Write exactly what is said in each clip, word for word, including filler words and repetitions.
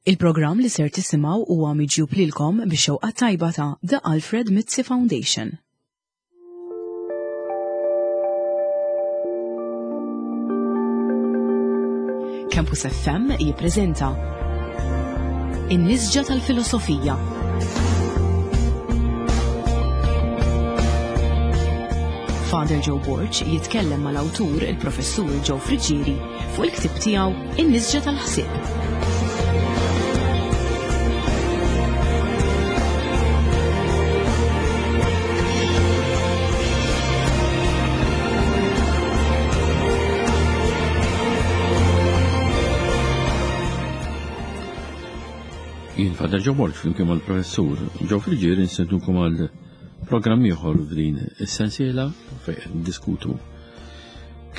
Il-programm li ser tisimgħu huwa miġjub lilkom bix-xewqa tajba ta' The Alfred Mizzi Foundation. Campus F M jippreżenta In-Nisġa tal-Filosofija. Father Joe Borg jitkellem mal-awtur il-Professur Joe Friggieri fuq il-ktieb tiegħu In-Nisġa tal-Ħsieb. Jien Father Joe Borg flimkien mal-Professur Joe Friggieri nistednukom għal programm ieħor f'din is-sensiela fejn qed niddiskutu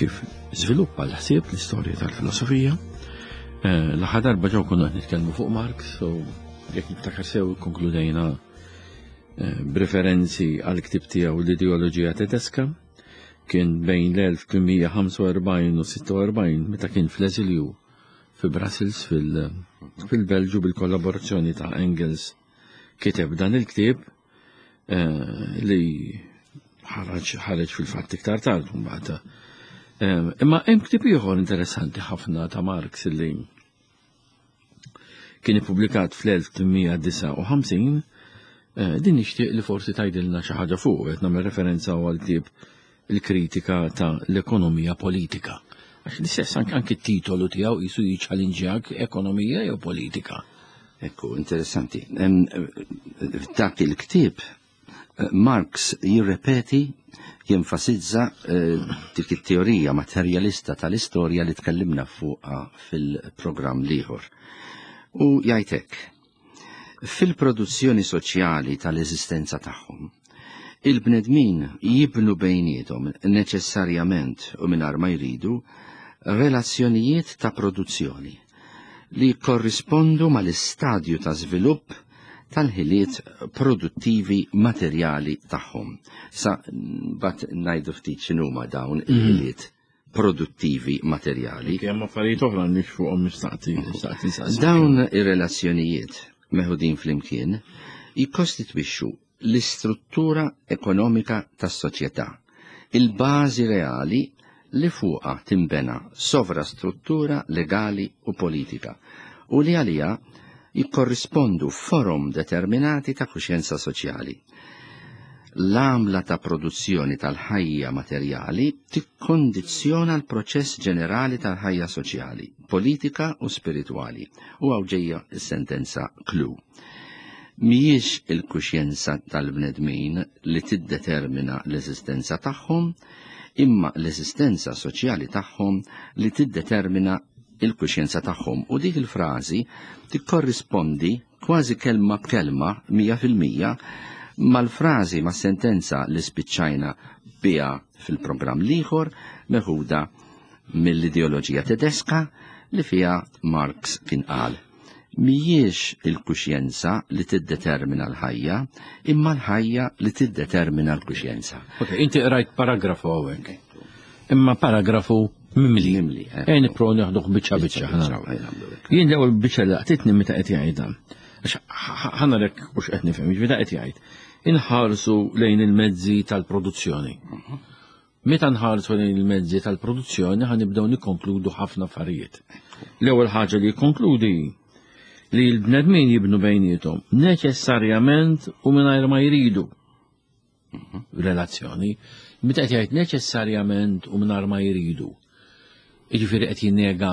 kif żviluppa l-ħsieb l-istorja tal-filosofija. Eh, l-aħħar darba ġew konna qed nitkellmu fuq Marx, so jekk niftakar sew ikkonkludejna, eh, b'referenzi għal ktieb tiegħu l-ideoloġija tedeska. Kien bejn l-elf tmien mija ħamsa u erbgħin u sitta u erbgħin meta kien fl-eżilju fi Brussels fil-, fil-Belġu bil-kollaborazzjoni ta' Engels kiteb dan il-ktieb, eh, li ħareġ, ħareġ fil-fatt iktar tard mbagħad. Eh, imma hemm ktieb ieħor interessanti ħafna ta' Marx li kien ippubblikat fl-elf tmien mija disgħa u ħamsin, eh, din nixtieq li forsi tgħidilna xi ħaġa fuq, qed nagħmel referenza għal ktieb il-kritika ta' l-ekonomija politika. Għax l-istess anke, anke t-titolu tiegħu qisu jiċċalinġjak ekonomija jew politika. Ekku, interessanti. Em, f'dak il-ktieb Marx jirrepeti, jenfasizza, eh, dik it-teorija materjalista tal-istorja li tkellimna fuqha fil-programm l-ieħor. U jgħid hekk, fil-produzzjoni soċjali tal-eżistenza tagħhom, il-bnedmin jibnu bejniethom neċessarjament u mingħajr ma jridu relazzjonijiet ta' produzzjoni li korrispondu mal-istadju ta' żvilupp tal-ħiliet produttivi materjali tagħhom. Sa bat ngħidu ftit x'inhuma dawn Mhm. il-ħiliet produttivi materjali. Kemm affarijiet oħra nix fuqhom nistaqti, nistaqti nsaqsi. Dawn ir-relazzjonijiet meħudin flimkien jikkostitwixxu l-istruttura ekonomika tas-soċjetà, il-bażi reali li fuqha timbena sovrastruttura legali u politika u li għalija jikkorrispondu forom determinati ta' kuxjenza soċjali. L-għamla ta' produzzjoni tal-ħajja materjali tikkondizzjona l-proċess ġenerali tal-ħajja soċjali, politika u spiritwali. U hawn ġejja s-sentenza klu. Mhijiex il-kuxjenza tal-bnedmin li tiddetermina l-eżistenza tagħhom, imma l-eżistenza soċjali tagħhom li tiddetermina il-kuxjenza tagħhom. U dik il-frażi tikkorrispondi kważi kelma b'kelma mija fil-mija mal-frażi mas-sentenza li spiċċajna biha fil-programm l-ieħor meħuda mill-ideoloġija tedeska li fiha Marx kien qal: mhijiex il-kuxjenza li tiddetermina l-ħajja, imma l-ħajja li tiddetermina l-kuxjenza. Ok, inti qrajt paragrafu hawnhekk. Imma paragrafu mimli. Mimli, eh. Ejn nipprovaw nieħduh biċċa biċċa, Biċċa ħa naraw. biċċa, ejn nagħmlu hekk. Jien l-ewwel biċċa li laqtitni meta qed jgħidha. Għax ħa-, ħa narek mhux qed nifhem, jiġifieri qed jgħid. Inħarsu lejn il-mezzi tal-produzzjoni. Mhm. Meta nħarsu lejn il-mezzi tal-produzzjoni ħa nibdew nikkonkludu ħafna affarijiet. L-ewwel ħaġa li jikkonkludi li l-bnedmin jibnu bejniethom neċessarjament u mingħajr ma jridu. Mhm. Relazzjoni. Meta qed jgħid neċessarjament u mingħajr ma jridu. Jiġifieri qed jinnega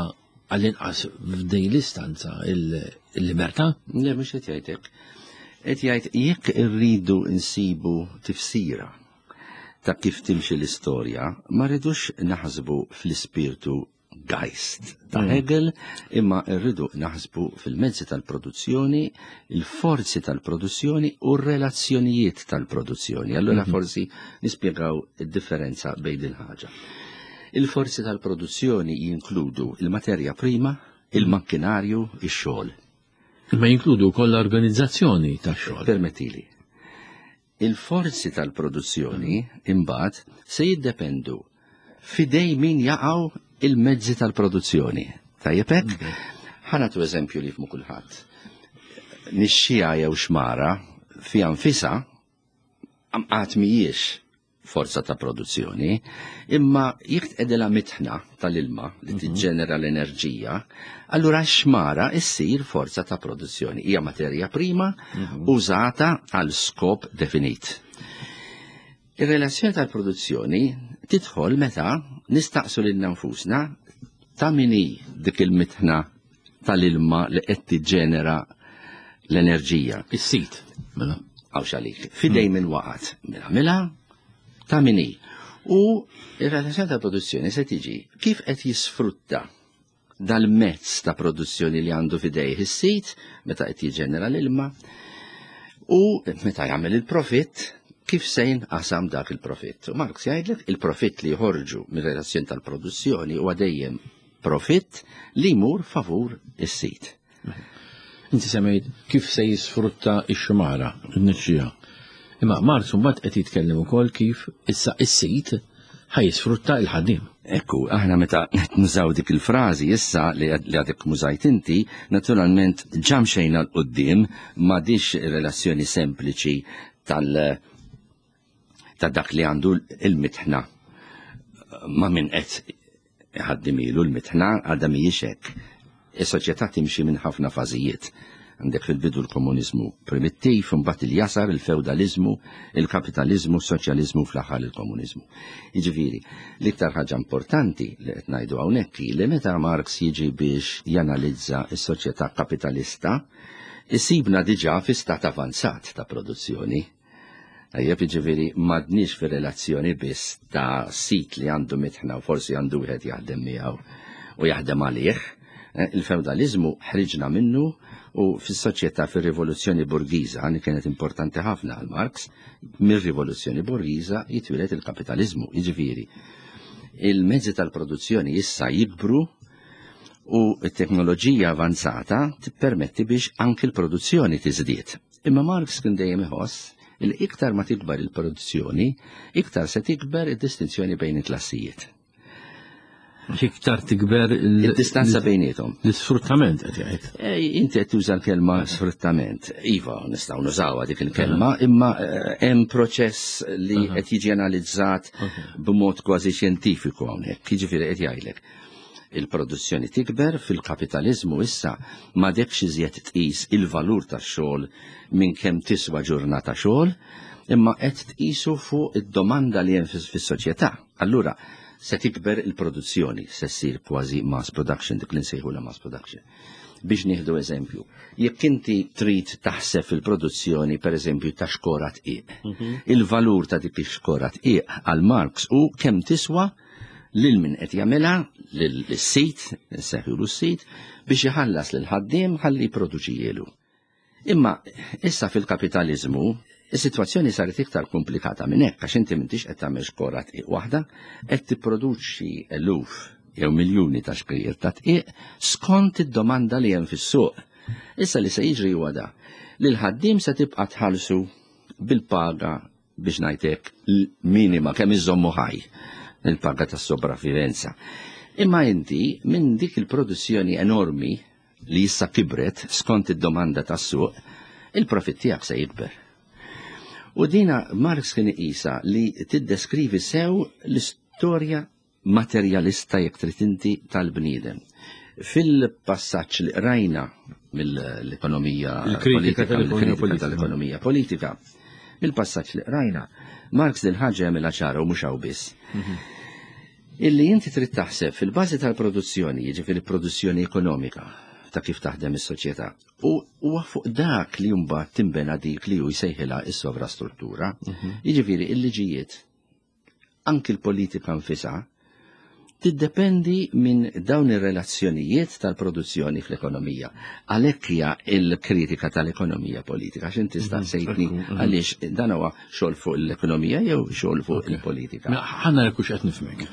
għall-inqas f'din l-istanza il-, il-libertà? Le, mhux qed jgħid hekk. Qed jgħid jekk irridu nsibu tifsira ta' kif timxi l-istorja, ma rridux naħsbu fl-ispirtu Geist ta' Mm. Hegel, imma rridu naħsbu fil-mezzi tal-produzzjoni, il-forzi tal-produzzjoni u r-relazzjonijiet tal-produzzjoni. Allura Mhm. forsi nispjegaw id-differenza bejn din ħaġa. Il-forzi tal-produzzjoni jinkludu il-materja prima, il-makkinarju, ix-xogħol. Imma jinkludu wkoll l-organizzazzjoni tax-xogħol. Permettili. Il-forzi tal-produzzjoni imbagħad se jiddependu fidej min jaqgħu il-mezzi tal-produzzjoni. Tajjeb hekk? Ok. Ħa nagħtu eżempju li jifhmu kulħadd. Nixxija jew xmara fiha nfisha għad mhijiex forza ta' produzzjoni, imma jekk tqegħdilha mitħna tal-ilma li tiġġenera l-enerġija, allura xmara issir forza ta' produzzjoni. Hija materja prima użata għal skop definit. Ir-relazzjoni tal-produzzjoni tidħol meta nistaqsu lil nfusna ta' min hi dik il-mitħna tal-ilma li qed tiġġenera l-enerġija. Is-sit. Mela. Għawx għalik. F'idejn min waqgħet. Mela, mela, ta' min hi. U ir-relazzjoni tal-produzzjoni se tiġi kif qed jisfrutta dal-mezz ta' produzzjoni li għandu f'idejh is-sit meta qed jiġġenera l-ilma u meta jagħmel il-profitt kif se jinqasam dak il-profitt. U Marx jgħidlek il-profitt li jħorġu mir-relazzjoni tal-produzzjoni huwa dejjem profitt li jmur favur is-sit. Inti semmejt kif se jisfrutta x-xmara, n-nixxija. Imma Marx mbagħad qed jitkellem ukoll kif issa is-sit ħa jisfrutta il-ħaddiem. Ekku, aħna meta nużaw dik il-frażi issa li għadek użajt inti, naturalment ġa mxejna 'l quddiem m'għadhiex relazzjoni sempliċi tal- ta' dak li għandu il-mitħna ma' min qed iħaddimilu l-mitħna għadha mhijiex hekk. Is-soċjetà timxi minn ħafna fażijiet. Għandek fil-bidu l-komuniżmu primittiv, mbagħad il-jasar, il-feudalizmu, il-kapitalizmu, il-soċjalizmu, fl-aħħar il-komuniżmu. Jiġifieri, l-iktar ħaġa importanti li qed ngħidu hawnhekk li meta Marx jiġi biex janalizza s-soċjetà kapitalista, isibna diġà fi stat avanzat ta' produzzjoni. Ejjeb, jiġifieri m'għadniex fi relazzjoni biss ta' sit li għandu mitħna u forsi għandu wieħed jaħdem miegħu u jaħdem għalih. Il-feudalizmu ħriġna minnu u fis-soċjetà fir-rivoluzzjoni burgiża, li kienet importanti ħafna għal Marx, mir-rivoluzzjoni burgiża jitwieled il-kapitalizmu, jiġifieri. Il-mezzi tal-produzzjoni issa jikbru u t-teknoloġija avanzata tippermetti biex anki l-produzzjoni tiżdied. Imma Marx kien dejjem iħoss li iktar ma tikber il-produzzjoni, iktar se tikber id-distinzjoni bejn il-klassijiet. Iktar tikber il-distanza bejniethom. L-isfruttament qed jgħid. Inti qed tuża l-kelma sfruttament. Iva, nistgħu nużawha dik il-kelma, imma hemm proċess li qed jiġi analizzat b'mod kważi xjentifiku hawnhekk. Jiġifieri qed jgħidlek. Il-produzzjoni tikber fil-kapitalizmu issa m'għadekx iżjed tqis il-valur tax-xogħol minn kemm tiswa ġurnata xogħol, imma qed tqisu fuq id-domanda li hemm fis-soċjetà. Allura se tikber il-produzzjoni, se ssir kważi mass production, dik li nsejħu la mass production. Biex nieħdu eżempju, jekk inti trid taħseb fil-produzzjoni per eżempju ta' xkora dqiq, il-valur ta' dik ix-xkora dqiq għal Marx u kemm tiswa lil min qed jagħmilha lis-sit, nsejħulu s-sit, biex iħallas lil ħaddiem ħalli jipproduċijielu. Imma issa fil-kapitalizmu is-sitwazzjoni saret iktar komplikata minn hekk għax inti m'intix qed tagħmel xkora dqiq waħda, qed tipproduċi eluf jew miljuni ta' xkejjer ta' dqiq skont id-domanda li hemm fis-suq. Issa li se jiġri huwa da li l-ħaddiem se tibqa' tħallsu bil-paga biex ngħidlek minima kemm iżommu ħaj, il-paga tas-sopravivenza. Imma inti minn dik il-produzzjoni enormi li issa kibret skont id-domanda tas-suq, il-profitt tiegħek se jikber. U dina Marx kien iqisha li tiddeskrivi sew l-istorja materjalista jekk trid inti tal-bniedem. Fil-passaġġ li qrajna mill-ekonomija Il-kritika politika, tal-ekonomija mill-kritika politika. tal-ekonomija politika, mill-passaġġ li qrajna, Marx dil ħaġa jagħmilha ċara u mhux hawn biss. Illi inti trid taħseb fil-bażi tal-produzzjoni, jiġifieri produzzjoni ekonomika ta' kif taħdem is-soċjetà. U huwa fuq dak li mbagħad timbena dik li hu jsejħilha is-sovrastruttura. Jiġifieri il-liġijiet, anki l-politika nfisha, tiddependi minn dawn ir-relazzjonijiet tal-produzzjoni fl-ekonomija. Għalhekk hija l-kritika tal-ekonomija politika, għax inti staqsejtni għaliex dan huwa xogħol fuq l-ekonomija jew xogħol fuq il-politika. Mela, ħa nara hux qed nifhmek.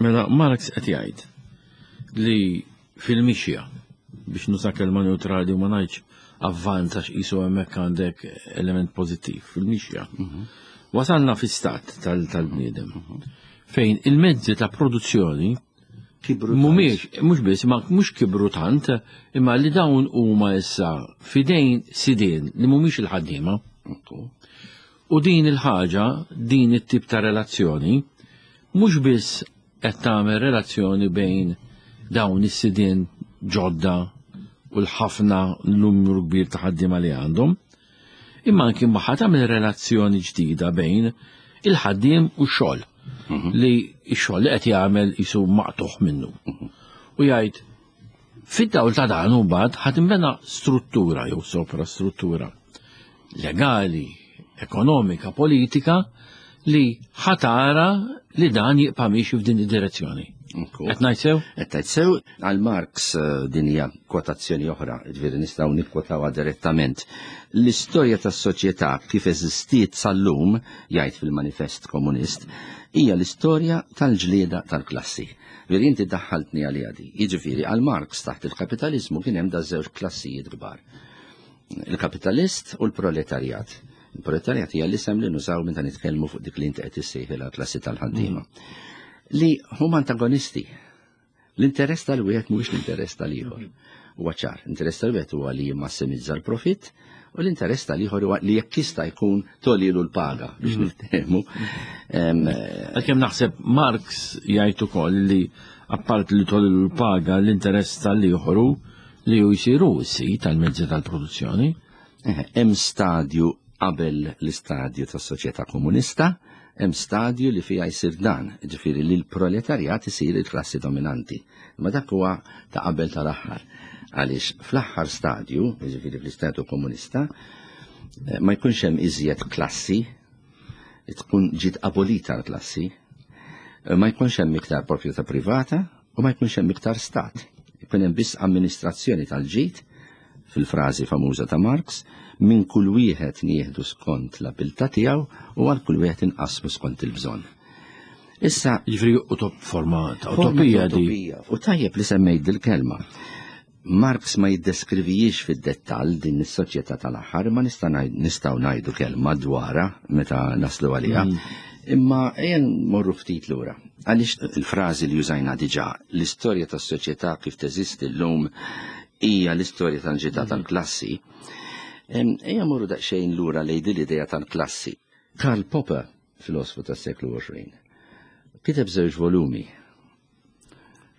Mela Marx qed jgħid li fil-mixja biex nuża kelma neutrali u ma ngħidx avvanza x'isu hemmhekk għandek element pożittiv fil-mixja. Wasalna fi stat tal-bniedem fejn il-mezzi ta' produzzjoni Kibru Mhumiex, mhux biss, ma mhux kibru tant, imma li dawn huma issa fidejn sidien li mhumiex il-ħaddiema. U din il-ħaġa, din it-tip ta' relazzjoni, mhux biss qed tagħmel relazzjoni bejn dawn is-sidien ġodda u l-ħafna numru kbir ta' ħaddiema li għandhom, imma anki magħha tagħmel relazzjoni ġdida bejn il-ħaddiem u x-xogħol. Li x-xogħol li qed jagħmel isu maqtuħ minnu. U jgħid fid-dawl ta' dan u mbagħad ħa tinbena struttura jew soprastruttura legali, ekonomika, politika li ħa tara li dan jibqa' miexi f'din id-direzzjoni. Qed ngħid sew? Qed tgħid sew. Għal Marx eh, din hija kwotazzjoni oħra, ġifieri nistgħu nikkwotawha direttament. L-istorja tas-soċjetà kif eżistiet sal-lum, jgħid fil-Manifest Komunist, hija l-istorja tal-ġlieda tal-klassi. Veri inti daħħaltni għalija di. Jiġifieri għal Marx taħt il-kapitalizmu kien hemm da żewġ klassijiet kbar. Il-kapitalist u l-proletarjat. Il-proletarjat hija l-isem li nużaw meta nitkellmu fuq dik li inti qed issejħilha klassi tal-ħaddiema. Li huma antagonisti. L-interess tal-wieħed mhuwiex l-interess tal-ieħor. Huwa ċar, l-interess tal-wieħed huwa li jimmassimizza l-profitt u l-interess tal-ieħor huwa li jekk jista' jkun tolilu l-paga biex niftehmu. Għalkemm naħseb Marx jgħid ukoll li apart li tolilu l-paga l-interess tal-ieħor li hu jsiru s-sid tal-mezzi tal-produzzjoni. Hemm stadju qabel l-istadju tas-soċjetà komunista, hemm stadju li fiha jsir dan, ġifieri li l-proletarjat isir il-klassi dominanti. Ma dak huwa ta' qabel tal-aħħar. Għaliex fl-aħħar stadju, ġifieri fl-istatu komunista, ma jkunx hemm iżjed klassi, tkun ġiet abolita l-klassi, ma jkunx hemm iktar proprjetà privata u ma jkunx hemm iktar stat. Ikun hemm biss amministrazzjoni tal-ġid, fil-frażi famuża ta' Marx, minn kull wieħed nieħdu skont l-abilità tiegħu u għal kull wieħed inqasmu skont il-bżonn. Issa Jiġifieri utop forma ta' utopija di. U tajjeb li semmejt dil-kelma. Marx ma jiddeskrivijiex fid-dettall din is-soċjetà tal-aħħar, ma nista' nistgħu ngħidu kelma dwarha meta naslu għaliha. Imma ejja nmorru ftit lura. Għaliex il-frażi li użajna diġà, l-istorja tas-soċjetà kif teżisti llum hija l-istorja tal-ġità tal-klassi. Ejja morru daqsxejn lura lejn din l-idea tal-klassi. Karl Popper, filosofu tas-seklu għoxrin, kiteb żewġ volumi.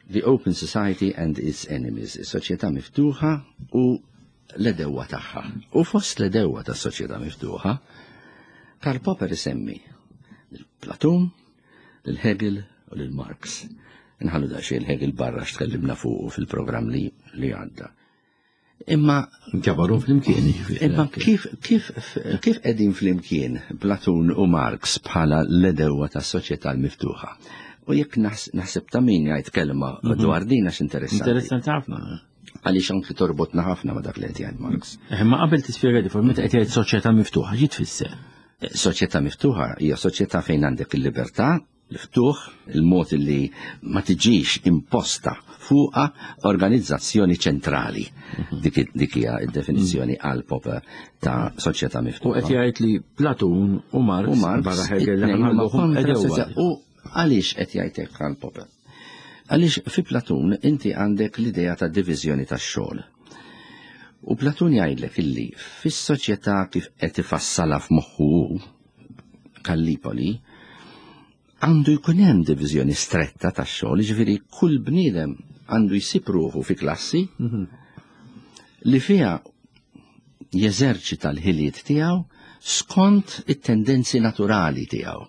The Open Society and Its Enemies, is-soċjetà miftuħa u l-edewwa tagħha. U fost l-edewwa tas-soċjetà miftuħa, Karl Popper isemmi lil Platun, lil Hegel u lil Marx. Nħallu daqsxejn Hegel barra x'tkellimna fuqu fil-programm li, li għadda. Imma Ġabaru flimkien, jiġifieri. Imma kif, kif, kif qegħdin flimkien Platun u Marx bħala l-edewwa tas-soċjetà l-miftuħa? U jekk naħseb ta' min jgħid kelma dwar din għax interessanti. Interessanti ħafna. Għaliex anki torbotna ħafna ma' dak li qed jgħid Marx. Imma qabel tispjega di forma meta qed jgħid soċjetà miftuħa, xi tfisser? Soċjetà miftuħa hija soċjetà fejn għandek il-libertà, l-ftuħ, il-mod li ma tiġix imposta fuqa organizzazzjoni ċentrali. Dik dik hija d-definizzjoni għal Popper ta' soċjetà miftuħa. U qed jgħid li Platun u Marx, U Marx barra Hegel li it-tnejn huma ħalluhom kontra edewwa. soċjetà. U għaliex qed jgħid hekk għal Popper? Għaliex fi Platun inti għandek l-idea ta' diviżjoni tax-xogħol. U Platun jgħidlek illi fis-soċjetà kif qed ifassalha f'moħħu Kallipoli, għandu jkun hemm diviżjoni stretta tax-xogħol, jiġifieri kull bniedem għandu jsib ruħu fi klassi li fiha jeżerċita l-ħiliet tiegħu skont it-tendenzi naturali tiegħu.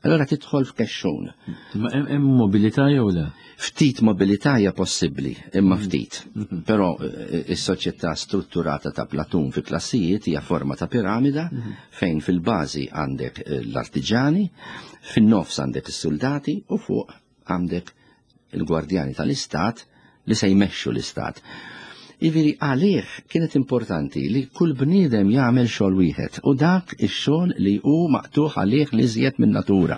Allora tidħol f'kexxun. Ma hemm hemm mobilità jew le? Ftit mobilità hija possibbli, imma ftit. Però eh, is-soċjetà strutturata ta' Platun fi klassijiet hija forma ta' piramida fejn fil-bażi għandek eh, l-artiġani, fin-nofs għandek is-soldati u fuq għandek il-gwardjani tal-istat li se jmexxu l-istat. Jiġifieri għalih kienet importanti li kull bniedem jagħmel xogħol wieħed u dak ix-xogħol li hu maqtuħ għalih li żjed minn natura.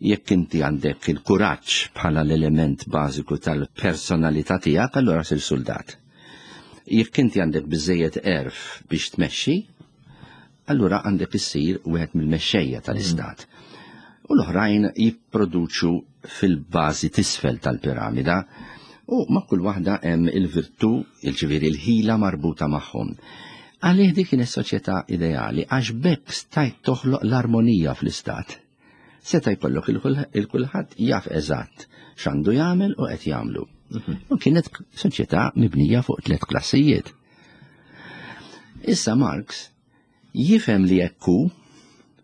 Jekk inti għandek il-kuraġġ bħala l-element bażiku tal-personalità tiegħek, allura sir soldat. Jekk inti għandek biżejjed għerf biex tmexxi, allura għandek issir wieħed mill-mexxejja tal-istat. U l-oħrajn jipproduċu fil-bażi tisfel tal-piramida u ma' kull waħda hemm il-virtù, il-ġifieri il-ħila marbuta magħhom. Għalih dik kienet soċjetà ideali għax b'hekk stajt toħloq l-armonija fl-istat. Seta' jkollok il-kulħadd jaf eżatt x'għandu jagħmel u qed jagħmlu. U kienet soċjetà mibnija fuq tliet klassijiet. Issa Marx jifhem li hekk hu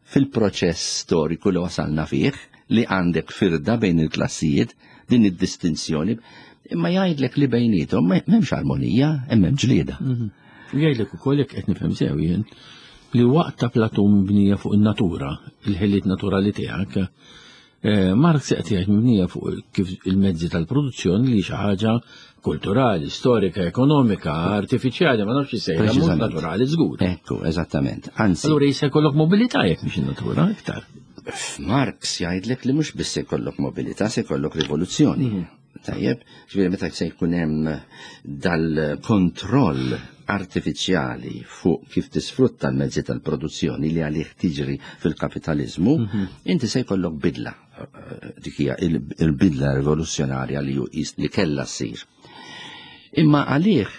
fil-proċess storiku li wasalna fih li għandek firda bejn il-klassijiet, din id-distinzjoni, imma jgħidlek li bejnietom m'hemmx armonija, hemm ġlieda. Jgħidlek ukoll jekk qed nifhem sew jien li waqt ta' Platun mibnija fuq in-natura, il-ħiliet naturali tiegħek, Marx qed jgħid mibnija fuq kif il-mezzi tal-produzzjoni li xi ħaġa kulturali, storika, ekonomika, artifiċjali, ma nafx x'sejħa, mhux naturali żgur. Ekku, eżattament. Anzi. Allura jista' jkollok mobilità jekk mhix in-natura iktar. Marx jgħidlek li mhux biss se jkollok mobilità, se jkollok rivoluzzjoni. Tajjeb, ġifieri meta se jkun hemm dal-kontroll artifiċjali fuq kif tisfrutta l-mezzi tal-produzzjoni li għalih tiġri fil-kapitalizmu, inti se jkollok bidla. Dik hija il-bidla rivoluzzjonarja li li kellha ssir. Imma għalih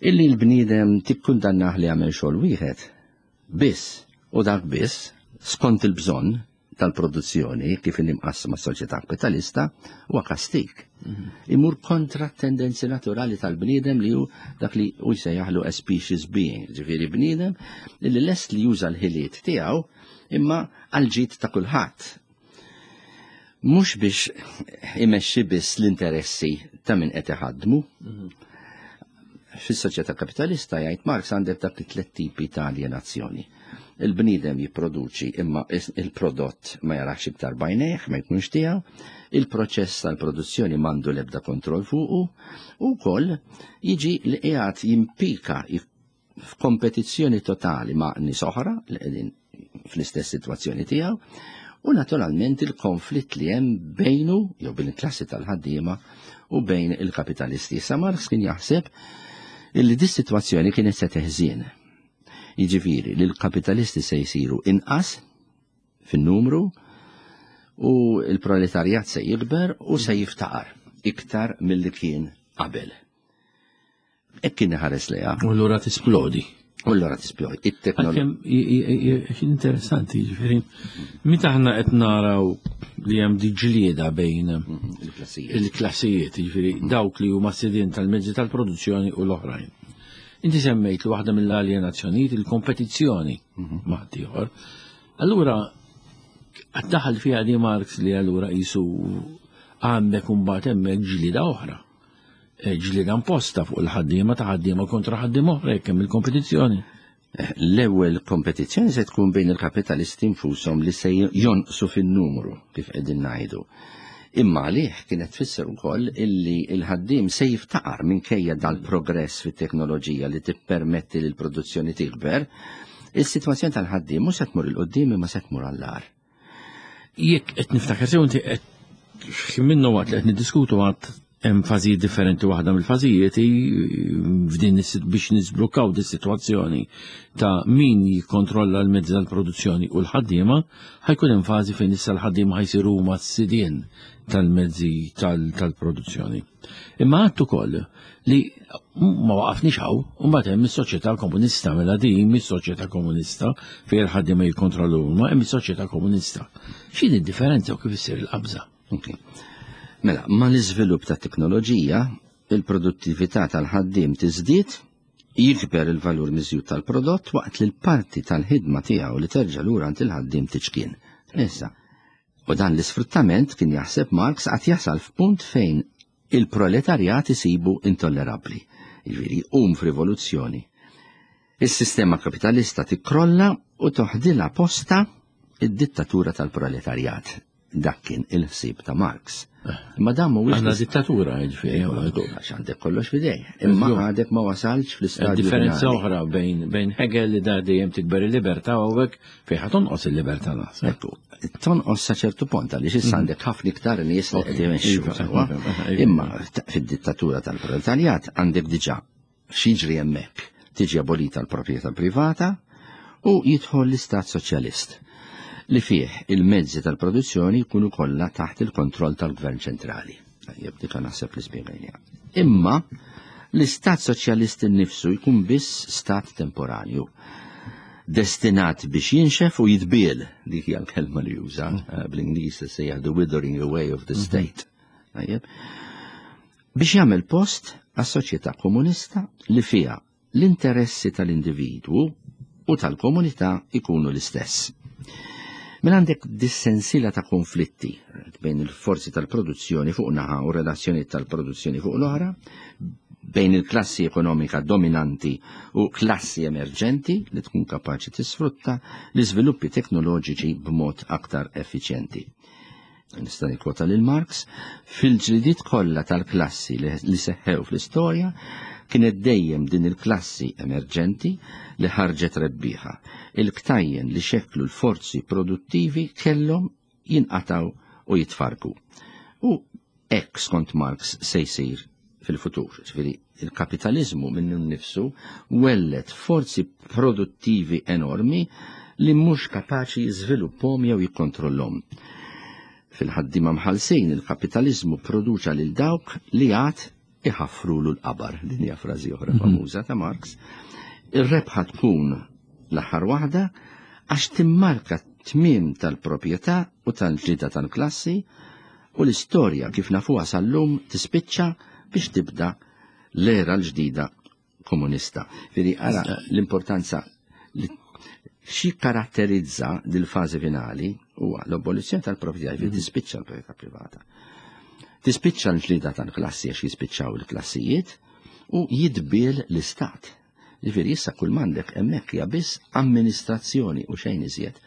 illi l-bniedem tikkundannah li għamel xogħol wieħed biss u dak biss skont il-bżonn tal-produzzjoni kif imqassma s-soċjetà kapitalista huwa kastig. Imur kontra t-tendenzi naturali tal-bniedem li hu dak li hu jsejjaħlu a species being, ġifieri bniedem li lest li juża l-ħiliet tiegħu imma għal ġid ta' kulħadd. Mhux biex imexxi biss l-interessi ta' min qed iħaddmu. Fis-soċjetà kapitalista jgħid Marx għandek dak it-tliet tipi ta' alienazzjoni. Il-bniedem jipproduċi imma il-prodott ma jarax iktar bajnejh, ma jkunx tiegħu, il-proċess tal-produzzjoni m'għandu l-ebda kontroll fuqu, u wkoll jiġi li qiegħed jimpika f'kompetizzjoni totali ma' nies oħra li qegħdin fl-istess sitwazzjoni tiegħu, u naturalment il-konflitt li hemm bejnu jew bejn il-klassi tal-ħaddiema u bejn il-kapitalisti. Issa Marx kien jaħseb illi dis sitwazzjoni kienet se teħżien. Jiġifieri li l-kapitalisti se jsiru inqas fin-numru u l-proletarjat se jikber u se jiftaqar iktar milli kien qabel. Hekk kien iħares lejha. U allura tisplodi. U allura tisplodi. It-teknoloġija. Interessanti, jiġifieri, meta aħna qed naraw li hemm di ġlieda bejn il-klassijiet, jiġifieri dawk li huma sidien tal-mezzi tal-produzzjoni u l-oħrajn. Inti semmejt li waħda mill-alienazzjonijiet il-kompetizzjoni ma' ieħor. Allura daħal fiha di Marx li allura qisu għandek imbagħad hemmhekk ġlieda oħra. Ġlieda imposta fuq il-ħaddiema ta' ħaddiema kontra ħaddiema oħra jekk hemm il-kompetizzjoni. L-ewwel kompetizzjoni se tkun bejn il-kapitalisti nfushom li se jonqsu fin-numru kif qegħdin ngħidu. Imma għalih kienet tfisser ukoll illi l-ħaddiem se jiftaqar minkejja dal-progress fit-teknoloġija li tippermetti li l-produzzjoni tikber, is-sitwazzjoni tal-ħaddiem mhux se tmur 'il quddiem imma se tmur għall-agħar. Jekk qed niftakar sew inti qed minnu waqt li qed niddiskutu għad hemm fażijiet differenti, waħda mill-fażijiet f'din biex nisblukkaw dis sitwazzjoni ta' min jikkontrolla l-mezzi tal-produzzjoni u l-ħaddiema, ħajkun hemm fażi fejn issa l-ħaddiema ħajsiru huma s-sidien tal-mezzi tal-produzzjoni. Imma għadt ukoll li ma waqafniex hawn, u mbagħad hemm is-soċjetà komunista, mela din mis-soċjetà komunista fejn il-ħaddiema jikkontrollu huma, hemm is-soċjetà komunista. X'inhi d-differenza u kif issir il-qabża? Mela, ma l-iżvilupp ta' teknoloġija, il-produttività tal-ħaddiem tiżdied, jikber il-valur miżjud tal-prodott waqt li l-parti tal-ħidma tiegħu li terġa' lura għand il-ħaddiem tiċkien. Issa, u dan l-isfruttament kien jaħseb Marx qatt jasal f'punt fejn il-proletarjat isibu intollerabbli. Jiġifieri jqum f'rivoluzzjoni. Is-sistema kapitalista tikkrolla u toħdilha posta id-dittatura tal-proletarjat. Dak kien il-ħsieb ta' Marx. Imma dan mhuwiex Għandna dittatura, jiġifieri, għax għandek kollox f'idej. Imma għadek ma wasalx fl-istadju. Differenza oħra bejn bejn Hegel li da dejjem tikber il-libertà u hawnhekk fejn ħa tonqos il-libertà naħseb. Ekku, tonqos sa ċertu punt għaliex issa għandek ħafna iktar nies li qed imexxu sewwa. Imma fid-dittatura tal-proletarjat għandek diġà x'jiġri hemmhekk. Tiġi abolita l-proprjetà privata u jidħol l-istat soċjalist. li fih il-mezzi tal-produzzjoni jkunu kollha taħt il-kontroll tal-gvern ċentrali. Tajjeb, dik naħseb li spjegajniha. Imma l-istat soċjalist innifsu jkun biss stat temporanju, destinat biex jinxef u jitbiel, dik hija l-kelma li juża, bl-Ingliż sejjaħ the withering away of the state. Tajjeb. Biex jagħmel post għas-soċjetà komunista li fiha l-interessi tal-individwu u tal-komunità ikunu l-istess. Mela għandek dis-sensiela ta' konflitti bejn il-forzi tal-produzzjoni fuq naħa u relazzjoni tal-produzzjoni fuq l-oħra, bejn il-klassi ekonomika dominanti u klassi emerġenti li tkun kapaċi tisfrutta l-iżviluppi teknoloġiċi b'mod aktar effiċjenti. Nista' nikkwota lil Marx, fil-ġlidiet kollha tal-klassi li seħħew fl-istorja kienet dejjem din il-klassi emerġenti li ħarġet rebbieħa. Il-ktajjen li xeklu l-forzi produttivi kellhom jinqataw u jitfarku. U hekk skont Marx se jsir fil-futur. Ġifieri il-kapitalizmu minnu nnifsu wellet forzi produttivi enormi li mhux kapaċi jiżviluppahom jew jikkontrollhom. Fil-ħaddiema mħallsin il-kapitalizmu produċa lil dawk li għad iħaffrulu l-qabar. Din hija frażi oħra famuża ta' Marx. Ir-rebħa tkun l-aħħar waħda għax timmarka tmiem tal-proprjetà u tal-ġlieda tal-klassi u l-istorja kif nafuha sal-lum tispiċċa biex tibda l-era l-ġdida komunista. Ġifieri ara l-importanza li xi karatterizza dil-fażi finali huwa l-abolizzjoni tal-proprjetà, ġifieri tispiċċa l-proprjetà privata. Tispiċċa l-ġlieda tal-klassi għax jispiċċaw il-klassijiet u jitbiel l-istat. Ġifieri issa kull m'għandek hemmhekk hija biss amministrazzjoni u xejn iżjed.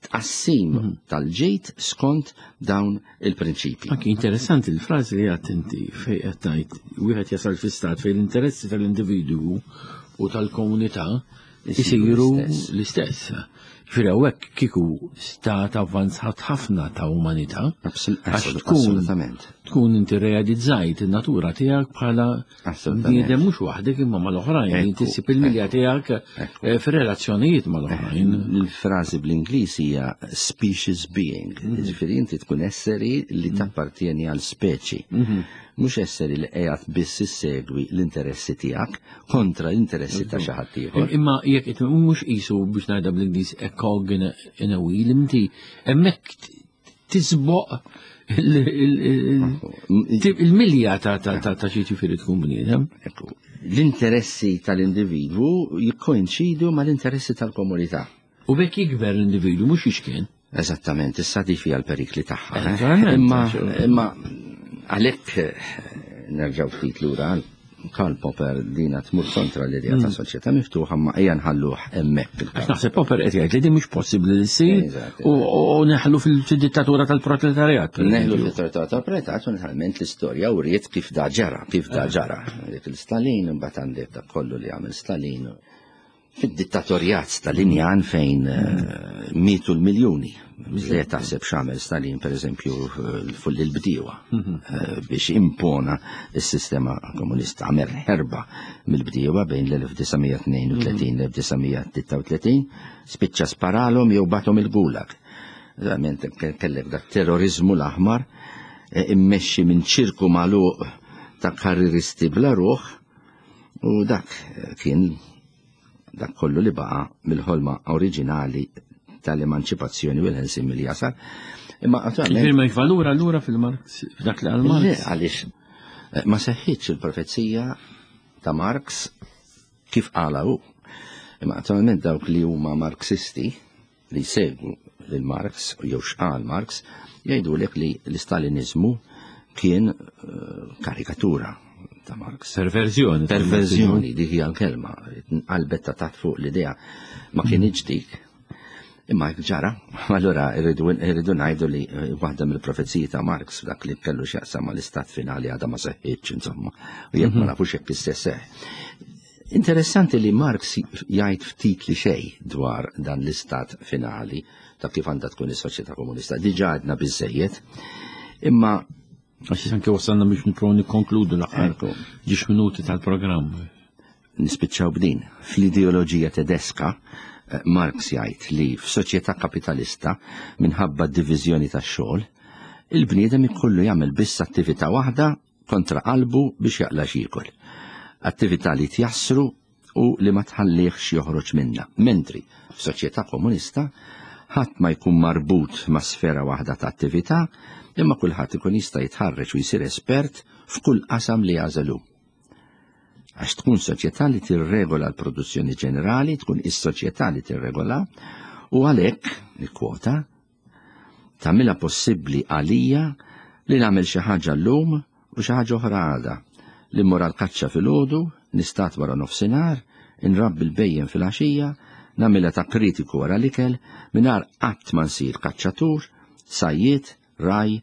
Tqassim tal-ġid skont dawn il-prinċipji. Anki interessanti l-frażi li għedt inti fejn qed tgħid wieħed jasal fi stat fejn l-interessi tal-individwu u tal-komunità isiru l-istess. Ġifieri hawnhekk kieku stat avvanzat ħafna ta' umanità. Għax tkun Assolutament. tkun inti realizzajt in-natura tiegħek bħala Assolutament. bniedem mhux waħdek imma mal-oħrajn, Ekku, inti ssib il-milja tiegħek ekku. eh, fir-relazzjonijiet mal-oħrajn. Il-frażi bl-Ingliż hija species being, ġifieri inti tkun esseri li tappartieni għal speċi. Mhux esseri li qiegħed biss issegwi l-interessi tiegħek kontra l-interessi ta' xi ħadd ieħor. Imma jekk qed mhux qisu biex ngħidha bl-Ingliż a cog in a, in a wheel, inti hemmhekk tisboq il- il- il- il-milja ta' ta' ta' ta' xi ġifieri tkun bniedem. Ekku, l-interessi tal-individwu jikkoinċidu mal-interessi tal-komunità. U b'hekk jikber l-individwu mhux jiċkien. Eżattament, issa di fija l-perikli tagħha. eh? Eżattament, Imma għax- imma għalhekk eh, nerġgħu ftit lura għal Karl Popper dina tmur kontra l-idea ta' soċjetà miftuħa ma ejja nħalluh hemmhekk Għax naħseb Popper qed jgħid li din mhux possibbli li ssir Eżatt. u u neħlu fil-dittatura tal-proletariat. per Neħlu eżempju. fil-dittatura tal-proletariat u naturalment l-istorja uriet kif da ġara, kif da ġara. Dik il-Stalin, mbagħad għandek dak kollu li għamel Stalin. Fid-dittatorjat Stalinjan fejn eh, mietu l-miljuni. Li taħseb x'għamel Stalin, per eżempju, fuq il-bdiewa eh, biex impona s-sistema komunista. Għamel ħerba mill-bdiewa bejn l-elf disa' mija tnejn u tletin u l-elf disa' mija tlieta u tletin, spiċċa sparalhom jew bathom il-gulag. Verament kellek dak terrorizmu l-aħmar eh, immexxi minn ċirku magħluq ta' karriristi bla ruħ u dak eh, kien dak kollu li baqa mill-ħolma oriġinali tal-emanċipazzjoni u l-ħelsin mill-jasar. Imma attualment Ġifieri ma valur allura fil-Marx, f'dak li għal Le, Marx. għaliex eh, ma seħħitx il-profezija ta' Marx kif qala hu. Imma attualment dawk li huma Marxisti li jsegwu lil Marx jew x'qal Marx jgħidulek li l-Stalinizmu kien eh, karikatura ta' Marx. Perverzjoni. Perverzjoni, dik hija l-kelma. Qalbet ta' taħt fuq l-idea ma kienx dik. Imma jekk ġara, allura irridu irridu ngħidu li eh, waħda mill-profeziji ta' Marx dak li kellu x'jaqsam mal-istat finali għadha ma seħħitx insomma. U jekk ma nafux jekk istess seħħ. Interessanti li Marx jgħid ftit li xejn dwar dan l-istat finali ta' kif għandha tkun is-soċjetà komunista. Diġà għedna biżejjed. Imma Għax anke wasalna biex nipprovaw nikkonkludu l-aħħar Ekku. ġiex minuti tal-programm. Nispiċċaw b'din. Fl-ideoloġija tedeska, Marx jgħid li f'soċjetà kapitalista minħabba d-diviżjoni tax-xogħol, il-bniedem ikollu jagħmel biss attività waħda kontra qalbu biex jaqla' x'jiekol. Attività li tjassru u li ma tħallihx joħroġ minnha. Mentri f'soċjetà komunista ħadd ma jkun marbut ma' sfera waħda ta' attività, imma kulħadd ikun jista' jitħarreġ u jsir espert f'kull qasam li jagħżel hu. Għax tkun soċjetà li tirregola l-produzzjoni ġenerali, tkun is-soċjetà li tirregola, u għalhekk, nikkwota, tagħmilha possibbli għalija li nagħmel xi ħaġa llum u xi ħaġa oħra għada, li mmur għall-kaċċa filgħodu, nistad wara nofsinhar, inrabbi l-bhejjem fil-għaxija, nagħmilha ta' kritiku wara l-ikel, mingħajr qatt ma nsir kaċċatur, sajjied, ragħaj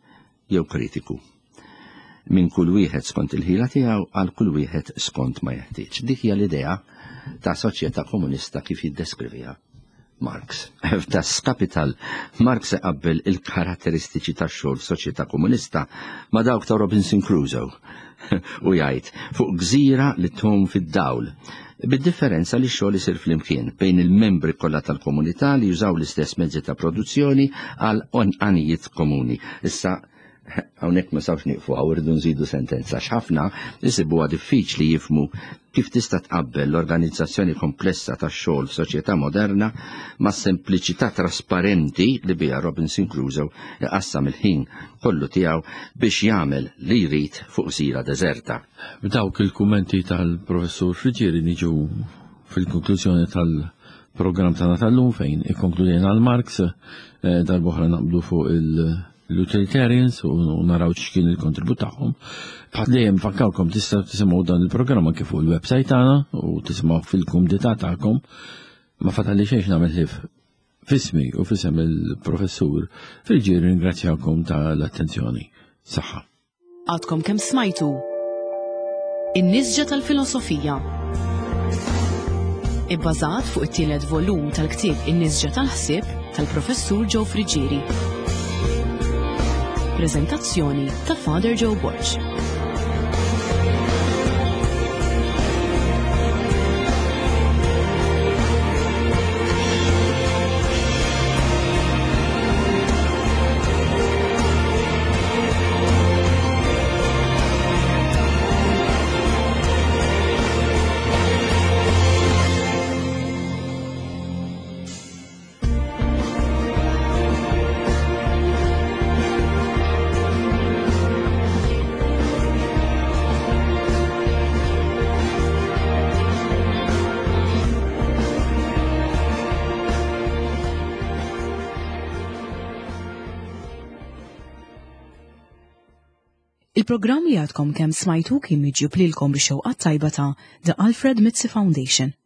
jew kritiku. Minn kull wieħed skont il-ħila tiegħu għal kull wieħed skont ma jeħtieġ. Dik hija l-idea ta' soċjetà komunista kif jiddeskriviha Marx. F'Das Kapital, Marx iqabbel il-karatteristiċi tax-xogħol f'soċjetà komunista ma' dawk ta' Robinson Crusoe u jgħid fuq gżira li tgħum fid-dawl, bid-differenza li x-xogħol isir flimkien bejn il-membri kollha tal-komunità li jużaw l-istess mezzi ta' produzzjoni għal għanijiet komuni. Issa hawnhekk ma sawx nieqfu hawn, irridu nżidu sentenza x'ħafna jsibuha diffiċli jifhmu kif tista' tqabbel l-organizzazzjoni komplessa tax-xogħol f'soċjetà moderna ma' sempliċità trasparenti li biha Robinson Crusoe iqassam il-ħin kollu tiegħu biex jagħmel li jrid fuq gżira deżerta. B'dawk il-kummenti tal-professur Friggieri niġu fil-konklużjoni tal-programm tagħna tal-lum fejn ikkonkludejna għal Marx, eh, darb'oħra naqblu fuq il- l-utilitarians u naraw x'kien il-kontribut tagħhom. Bħal dejjem fakkarkom tistgħu tisimgħu dan il-programm anke fuq il-website tagħna u tisimgħu fil-kumdità tagħkom. Ma fatalli xejn nagħmel ħif fismi u fisem il-professur Friggieri ringrazzjakom tal-attenzjoni. Saħħa. Għadkom kemm smajtu In-nisġa tal-filosofija. Ibbażat fuq it-tielet volum tal-ktieb In-nisġa tal-ħsieb tal-professur Joe Friggieri. Prezentazzjoni ta' Father Joe Borg. Il-programm li għadkom kemm smajtu kien miġjub lilkom bix-xewqa tajba ta' The Alfred Mizzi Foundation.